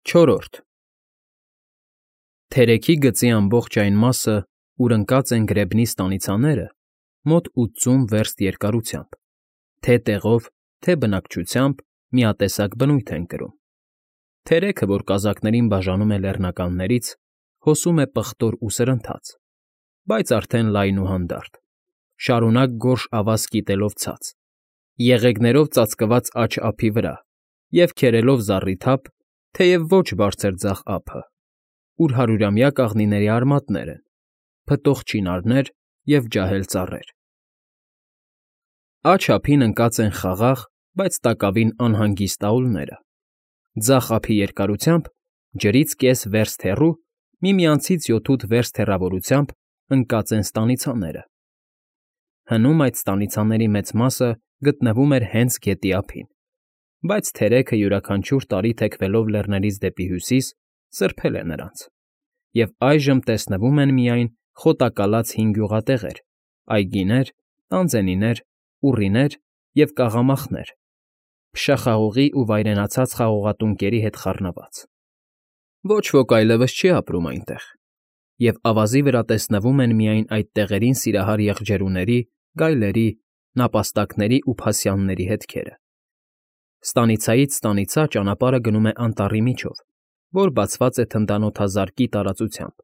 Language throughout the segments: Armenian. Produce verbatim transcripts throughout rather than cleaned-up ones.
Չորրորդ Թերեքի գծի ամբողջ այն մասը, ուր ընկած են գրեբնի ստանիցաները, մոտ ութսուն վերստ երկարությամբ, թե տեղով, թե բնակչությամբ միատեսակ բնույթ են կրում. թերեքը, որ կազակներին բաժանում է լեռնականներից, հոսում է պղտոր ու սրընթաց, բայց արդեն լայն ու հանդարտ, շարունակ գորշ ավազ կիտելով ցած, եղեգներով ծածկված աջ ափի վրա և քերելով զառիթափ, թեև ոչ բարձր ձախ ափը, ուր հարյուրամյա կաղնիների արմատներ են, փտող չինարներ և ջահել ծառեր. Աջ ափին ընկած են խաղաղ, բայց տակավին անհանգիստ աուլները, ձախ ափի երկարությամբ ջրից կես վերստ հեռու, միմյանցից յոթ֊ութ վերստ հեռավորությամբ ընկած են ստանիցաները. հնում այդ ստանիցաների մեծ մասը գտնվում էր հենց գետի ափին, բայց թերեքը յուրաքանչյուր տարի թեքվելով լեռներից դեպի հյուսիս սրբել է նրանց, և այժմ տեսնվում են միայն խոտակալած հին գյուղատեղեր, այգիներ, տանձենիներ, ուռիներ և կաղամախներ, փշախաղողի ու վայրենացած խաղողատունկերի հետ խառնված. ոչ ոք այլևս չի ապրում այնտեղ, և ավազի վրա տեսնվում են միայն այդ տեղերին սիրահար եղջերուների, գայլերի, նապաստակների ու փասյանների հետքերը. Ստանիցայից ստանիցա ճանապարհը գնում է անտառի միջով, որ բացված է թնդանոթազարկի տարածությամբ,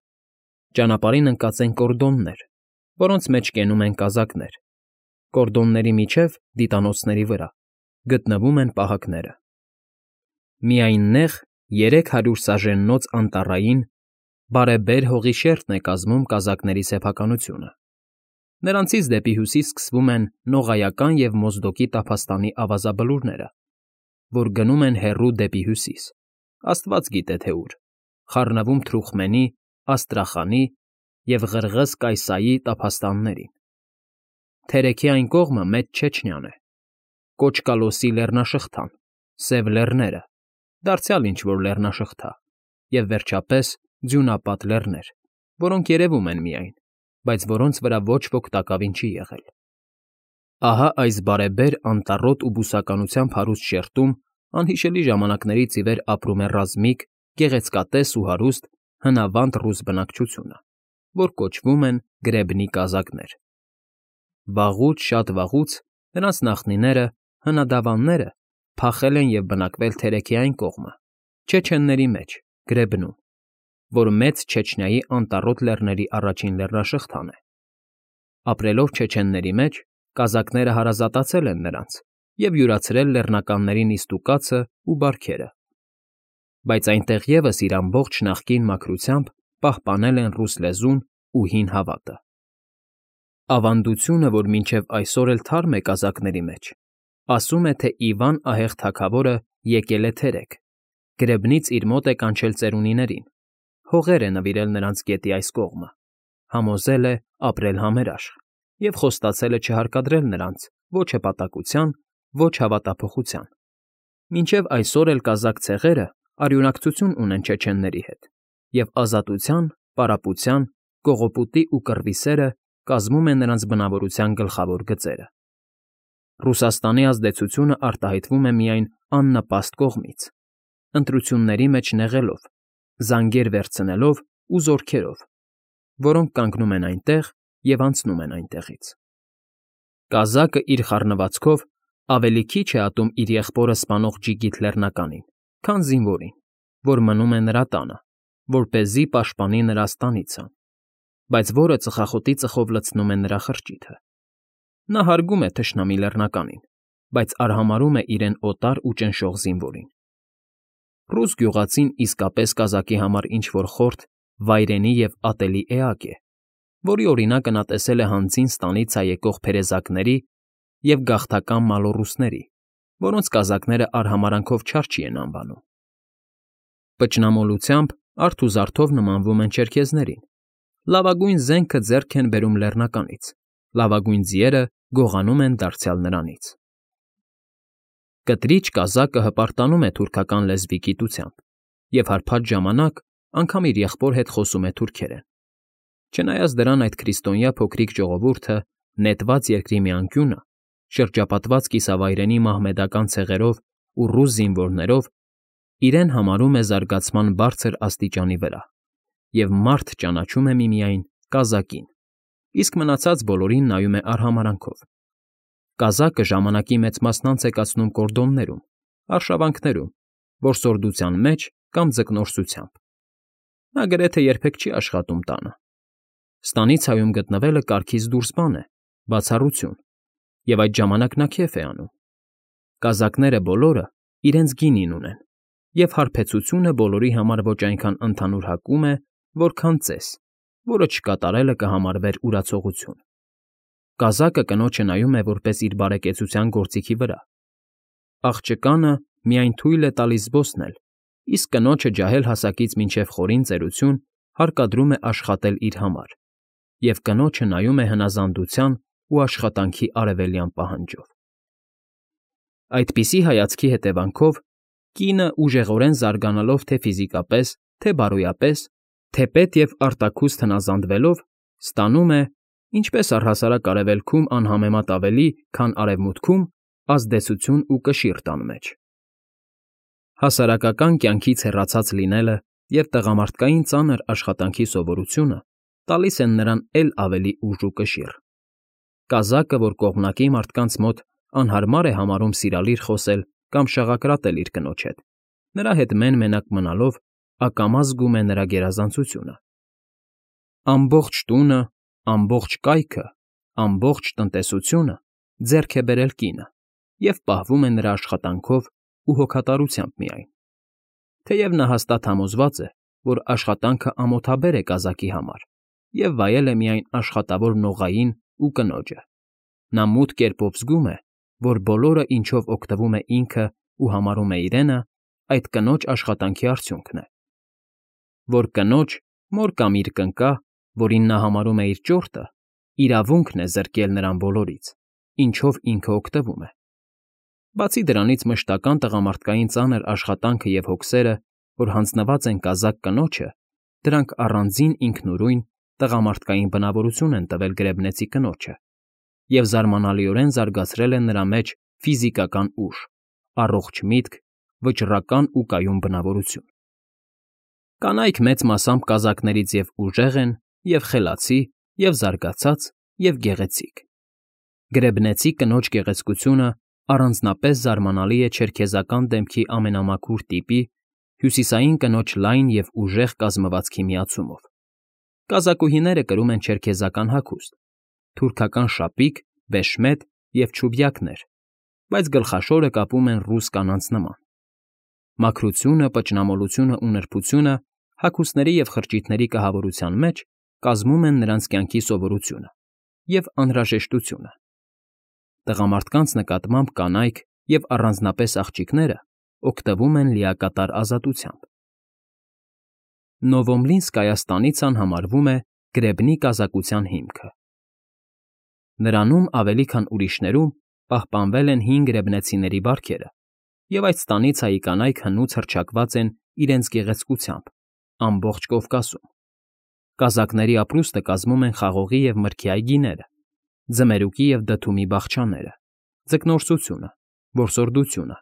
ճանապարհին ընկած են կորդոններ, որոնց մեջ կենում են կազակներ, կորդոնների միջև, դիտանոցների վրա, գտնվում են պահակները. միայն նեղ, երեք հարյուր սաժեննոց անտառային, բարեբեր հողի շերտն է կազմում կազակների սեփականությունը. նրանցից դեպի հյուսիս սկսվում են Նողայական և Մոզդոկի տափաստանի ավազաբլուրները, որ գնում են հեռու դեպի հյուսիս, աստված գիտե թե ուր, խառնվում Թրուխմենի, Աստրախանի և Ղրղըզ֊Կայսայի տափաստաններին. թերեքի այն կողմը Մեծ Չեչնյան է, Կոճկալոսի լեռնաշղթան, Սև Լեռները, դարձյալ ինչ֊որ լեռնաշղթա, և, վերջապես, Ձյունապատ Լեռներ, որոնք երևում են միայն, բայց որոնց վրա ոչ ոք տակավին չի եղել. ահա այս բարեբեր անտառոտ ու բուսականությամբ հարուստ շերտում անհիշելի ժամանակներից ի վեր ապրում է ռազմիկ, գեղեցկատես ու հարուստ հնավանդ ռուս բնակչությունը, որ կոչվում են գրեբնի կազակներ. վաղուց, շատ վաղուց նրանց նախնիները, հնադավանները, փախել են և բնակվել թերեքի այն կողմը, չեչենների մեջ, գրեբնում, որ Մեծ Չեչնիայի անտառոտ լեռների առաջին լեռնաշղթան է. ապրելով չեչենների մեջ, կազակները հարազատացել են նրանց և յուրացրել լեռնականների նիստուկացն ու բարքերը, բայց այնտեղ ևս իր ամբողջ նախկին մաքրությամբ պահպանել են ռուս լեզուն ու հին հավատը. Ավանդությունը, որ մինչև այսօր էլ թարմ է կազակների մեջ, ասում է, թե Իվան ահեղ թագավորը եկել է թերեք, գրեբնից իր մոտ է կանչել ծերունիներին, հողեր է նվիրել նրանց գետի այս կողմը, համոզել է ապրել համերաշխ և խոստացել է չհարկադրել նրանց ոչ հպատակության, ոչ հավատափոխության, մինչև այսօր էլ կազակ ցեղերը արյունակցություն ունեն չեչենների հետ, և ազատության, պարապության, կողոպուտի ու կռվի սերը կազմում է նրանց բնավորության գլխավոր գծերը. Ռուսաստանի ազդեցությունը արտահայտվում է միայն աննպաստ կողմից, ընտրությունների մեջ նեղելով, զանգեր վերցնելով ու զորքերով, որոնք կանգնում են այնտեղ և անցնում են այնտեղից. Կազակը իր խառնվածքով ավելի քիչ է ատում իր եղբորը սպանող Ջիգիթ լեռնականին, քան զինվորին, որ մնում է նրա տանը, որպեսզի պաշտպանի նրա ստանիցան, բայց որը ծխախոտի ծխով լցնում է նրա խրճիթը. նա հարգում է թշնամի լեռնականին, բայց արհամարհում է իրեն օտար ու ճնշող զինվորին. Ռուս գյուղացին իսկապես կազակի համար ինչ֊որ խորթ, վայրենի և ատելի էակ է, որի օրինակը նա տեսել է հանձին ստանիցա եկող փերեզակների և գաղթական մալոռուսների, որոնց կազակները արհամարհանքով չար չի են անվանում. Պճնամոլությամբ, արդ ու զարդով նմանվում են չերքեզներին, լավագույն զենքը ձեռք են բերում լեռնականից, լավագույն ձիերը գողանում են դարձյալ նրանից. Կտրիչ կազակը հպարտանում է թուրքական լեզվի գիտությամբ և հարբած ժամանակ անգամ իր եղբոր հետ խոսում է թուրքերեն. չնայած դրան այդ քրիստոնյա փոքրիկ ժողովուրդը նետված երկրի մի անկյունը, շրջապատված կիսավայրենի մահմեդական ցեղերով ու ռուս զինվորներով, իրեն համարում է զարգացման բարձր աստիճանի վրա և մարդ ճանաչում է միմիայն կազակին, իսկ մնացած բոլորին նայում է արհամարհանքով։ Կազակը ժամանակի մեծ մասն անց է կացնում կորդոններում, արշավանքներում, որսորդության մեջ կամ ձկնորսությամբ։ Նա գրեթե երբեք չի աշխատում տանը։ Ստանիցայում գտնվելը կարգից դուրս բան է, բացառություն, և այդ ժամանակ նա քեֆ է անում։ Կազակները բոլորը իրենց գինին ունեն, և հարբեցությունը բոլորի համար ոչ այնքան ընդհանուր հակում է, որքան ծես, որը չկատարելը կհամարվեր ուրացողություն։ Կազակը կնոջը նայում է որպես իր բարեկեցության գործիքի վրա։ Աղջկանը միայն թույլ է տալիս զբոսնել, իսկ կնոջը ջահել հասակից մինչև խորին ծերություն հարկադրում է աշխատել իր համար, և կնոջը նայում է հնազանդության ու աշխատանքի արևելյան պահանջով։ Այդպիսի հայացքի հետևանքով կինը ուժեղորեն զարգանալով թե ֆիզիկապես, թե բարոյապես, թեպետ և արտաքուստ հնազանդվելով, ստանում է, ինչպես առհասարակ արևելքում անհամեմատ ավելի, քան արևմուտքում, ազդեցություն ու կշիռ տան մեջ։ Հասարակական կյանքից հեռացած լինելը և տղամարդկային ծանր աշխատանքի սովորությունը տալիս են նրան էլ ավելի ուժ ու կշիռ։ Կազակը, որ կողմնակի մարդկանց մոտ անհարմար է համարում սիրալիր խոսել կամ շաղակրատել իր կնոջ հետ, նրա հետ մեն֊մենակ մնալով ակամա զգում է նրա գերազանցությունը։ Ամբողջ տունը, ամբողջ կայքը, ամբողջ տնտեսությունը ձեռք է բերել կինը և պահվում է նրա աշխատանքով ու հոգատարությամբ միայն։ Թեև նա հաստատ համոզված է, որ աշխատանքը ամոթաբեր է կազակի համար և վայել է միայն աշխատավոր նողային ու կնոջը, նա մութ կերպով զգում է, որ բոլորը, ինչով օգտվում է ինքը ու համարում է իրենը, այդ կնոջ աշխատանքի արդյունքն է։ Որ կնոջ, մոր կամ իր կնկա, որին նա համարում է իր ճորտը, իրավունքն է զրկել նրան բոլորից, ինչով ինքը օգտվում է։ Բացի դրանից մշտական տղամարդկային ծանր աշխատանքը և հոգսերը, որ հանձնված են կազակ կնոջը, դրանք առանձին ինքնուրույն տղամարդկային բնավորություն են տվել գրեբնեցի կնոջը և զարմանալիորեն զարգացրել են նրա մեջ ֆիզիկական ուժ, առողջ միտք, վճռական ու կայուն բնավորություն։ Կանայք մեծ մասամբ կազակներից և՛ ուժեղ են, և՛ խելացի, և՛ զարգացած, և՛ գեղեցիկ։ Գրեբնեցի կնոջ գեղեցկությունը առանձնապես զարմանալի է չերքեզական դեմքի ամենամաքուր տիպի, հյուսիսային կնոջ լայն և ուժեղ կազմվածքի միացումով։ Կազակուհիները կրում են չերքեզական հագուստ, թուրքական շապիկ, վեշմետ և չուբյակներ, բայց գլխաշորը կապում են ռուս կանանց նման։ Մաքրությունը, պճնամոլությունն ու նրբությունը հագուստների և խրճիթների կահավորության մեջ կազմում են նրանց կյանքի սովորությունը և անհրաժեշտությունը։ Տղամարդկանց նկատմամբ կանայք և առանձնապես աղջիկները օգտվում են լիակատար ազատությամբ։ Նովոմլինսկայա ստանիցան համարվում է գրեբնի կազակության հիմքը։ Նրանում ավելի քան ուրիշներում պահպանվել են հին գրեբնեցիների բարքերը, և այդ ստանիցայի կանայք հնուց հռչակված են իրենց գեղեցկությամբ ամբողջ Կովկասում։ Կազակների ապրուստը կազմում են խաղողի և մրգի այգիները, ձմերուկի և դդումի բաղչաները, ձկնորսությունը, որսորդությունը,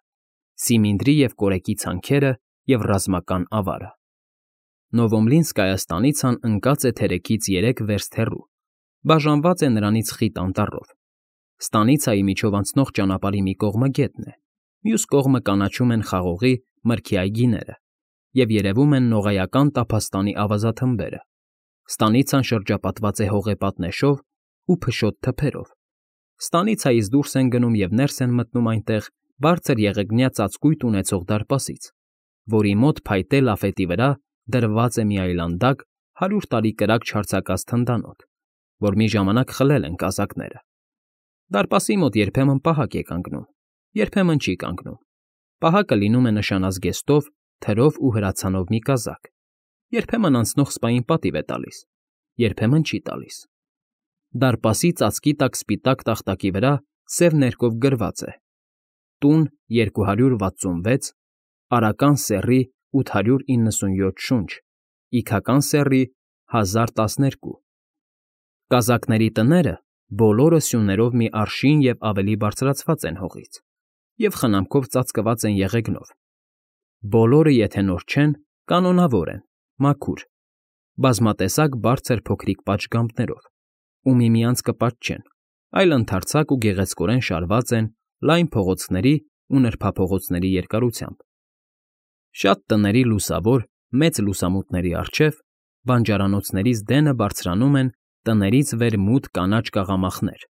սիմինդրի և կորեկի ցանքերը և ռազմական ավարը։ Նովոմլինսկայա ստանիցան ընկած է թերեքից երեք վերստ հեռու, բաժանված է նրանից խիտ անտառով։ Ստանիցայի միջով անցնող ճանապարհի մի կողմը գետն է, մյուս կողմը կանաչում են խաղողի, մրգի այգիները և երևում են նողայական տափաստանի ավազաթմբերը։ Ստանիցան շրջապատված է հողեպատնեշով ու փշոտ թփերով։ Ստանիցայից դուրս են գնում և ներս են մտնում այնտեղ բարձր եղեգնյա ծածկույթ ունեցող դարպասից, որի մոտ փայտե լաֆետի վրա դրված է մի այլանդակ, հարյուր տարի կրակ չարձակած թնդանոթ, որ մի ժամանակ խլել են կազակները։ Դարպասի մոտ երբեմն պահակ է կանգնում, երբեմն չի կանգնում։ Պահակը լինում է նշանազգեստով, թրով ու հրացանով մի կազակ, երբեմն անցնող սպային պատիվ է տալիս, երբեմն չի տալիս։ Դարպասի ծածկի տակ սպիտակ տախտակի վրա սև ներկով գրված է. «Տուն երկու հարյուր վաթսունվեց, Արական սեռի ութ հարյուր իննսունյոթ շունչ, Իգական սեռի հազար տասներկու»։ Կազակների տները բոլորը սյուներով մի արշին և ավելի բարձրացված են հողից և խնամքով ծածկված են եղեգնով։ Բոլորը, եթե նոր չեն, կանոնավոր են, մաքուր, բազմատեսակ բարձր փոքրիկ պատշգամբներով ու միմյանց կպատճեն, այլ ընդարձակ ու գեղեցկորեն շարված են լայն փողոցների ու նրբափողոցների երկարությամբ։ Շատ տների լուսավոր, մեծ լուսամուտների առջև բանջարանոցներից դենը բարձրանում են տներից վեր մութ կանաչ կաղամախներ,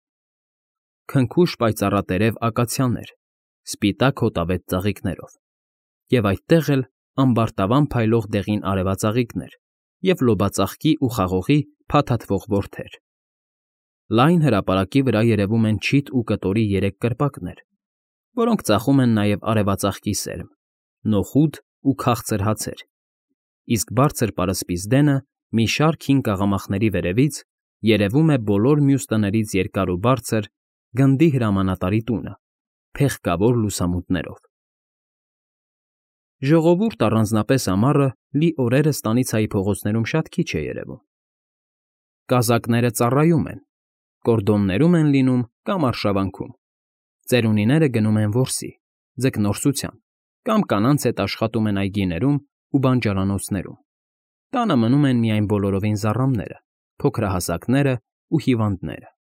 քնքուշ պայծառատերև ակացիաներ, սպիտակ հոտավետ ծաղիկներով, և այդտեղ էլ ամբարտավան փայլող դեղին արևածաղիկներ և լոբածաղկի ու խաղողի փաթաթվող որթեր։ Լայն հրապարակի վրա երևում են չիթ ու կտորի երեք կրպակներ, որոնք ծախում են նաև արևածաղկի սերմ, նոխուդ ու քաղցր հացեր, իսկ բարձր պարսպից դենը մի շարք հին կաղամախների վերևից երևում է բոլոր մյուս տներից երկար ու բարձր գնդի հրամանատարի տունը՝ փեղկավոր լուսամուտներով։ Ժողովուրդ, առանձնապես ամառը, լի օրերը ստանիցայի փողոցներում շատ քիչ է երևում։ Կազակները ծառայում են, կորդոններում են լինում կամ արշավանքում, ծերունիները գնում են որսի, ձկնորսության կամ կանանց հետ աշխատում են այգիներում ու բանջարանոցներում, տանը մնում են միայն բոլորովին զառամները, փոքրահասակներն ու հիվանդները։